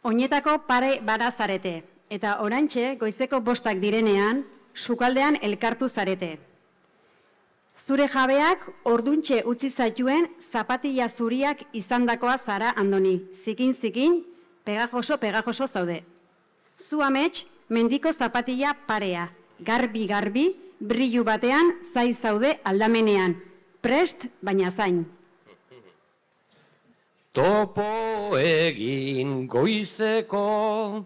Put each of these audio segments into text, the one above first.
Oinetako pare bara zarete, eta orantxe goizeko 5 direnean, sukaldean elkartu zarete. Zure jabeak orduntxe utzi zaituen zapatilla zuriak izandakoa zara Andoni. Zikin, pegajoso zaude. Zu amets, mendiko zapatilla parea, garbi, brillu batean zai zaude aldamenean. Prest, baina zain. Topo egin goizeko,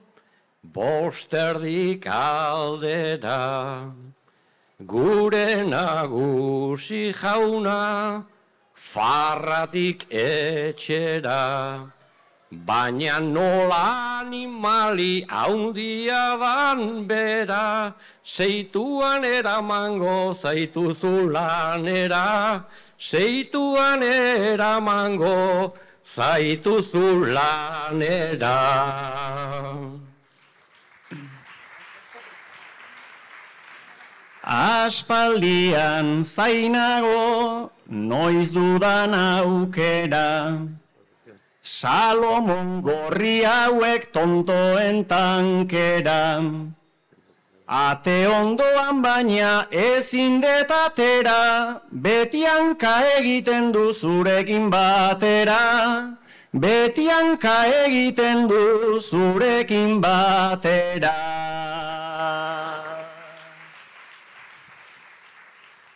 5 aldera, gure nagusi jauna, farratik etxera, baina nola animali haundia dan bera, seituan eramango zaituzu lanera, seituan eramango zaituzu lanera. Aspaldian zainago, noiz dudan aukera, Salomon gorri hauek tontoen tankera, ate ondoan baina ezin detatera, beti hanka egiten du zurekin batera, beti hanka egiten du zurekin batera.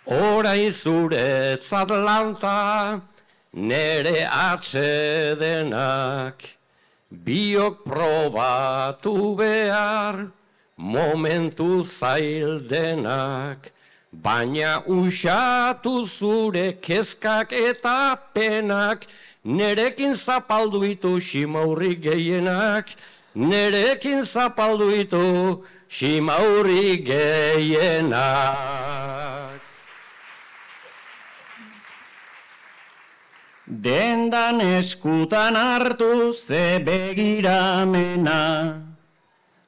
Horai zuretzat lanta, nere atsedenak, biok probatu behar, momentu zaildenak, baina usatu zure kezkak eta penak, nerekin zapaldu ditu simaurri gehienak, nerekin zapaldu ditu simaurri gehienak. Dendan eskutan hartu ze begiramena,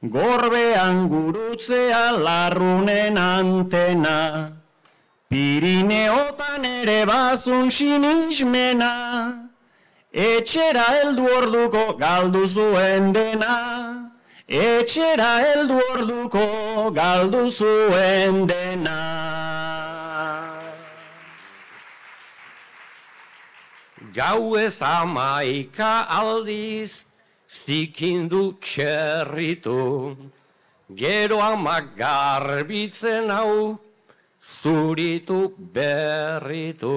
gorbean gurutzea larrunen antena, Pirineotan ere bazun sinismena, etxera heldu orduko galdu zuen dena, etxera heldu orduko galdu zuen dena. Gauez 11 aldiz, zikindu txerritu, gero amak garbitzen hau, zuritu berritu.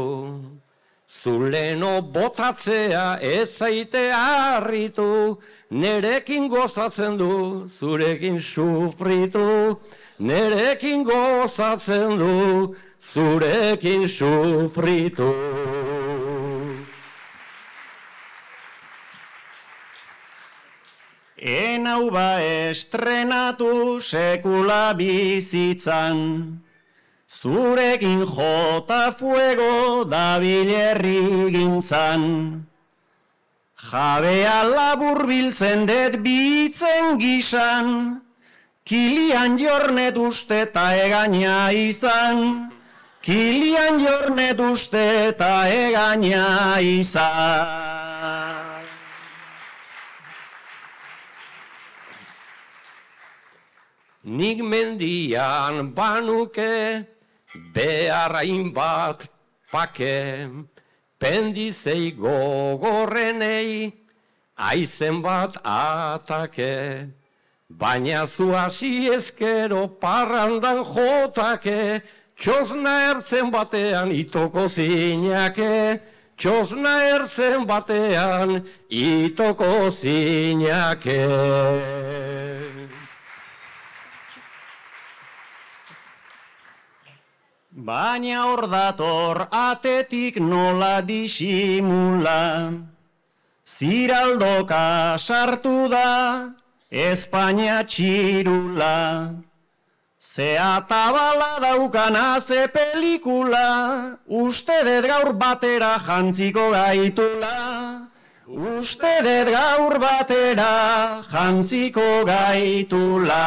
Zuleno botatzea ez zaite harritu, nerekin gozatzen du, zurekin sufritu, nerekin gozatzen du, zurekin sufritu. Enau ba estrenatu sekula bizitzan, zurekin jota fuego dabilerri gintzan. Jabea labur biltzen det bitzen gisan, kilian jornet uste ta egaina izan, kilian jornet uste ta egaina izan. Nik mendian banuke, beharrain bat pake, pendizei gogorrenei, aizen bat atake, baina zu hasi ezkero parrandan jotake, txosna ertzen batean itoko zinake, txosna ertzen batean itoko zinake. Baina hor dator atetik nola disimula, ziraldoka sartu da Espainia txirula, ze atabala daukana ze pelikula, uste dut gaur batera jantziko gaitula, uste dut gaur batera jantziko gaitula.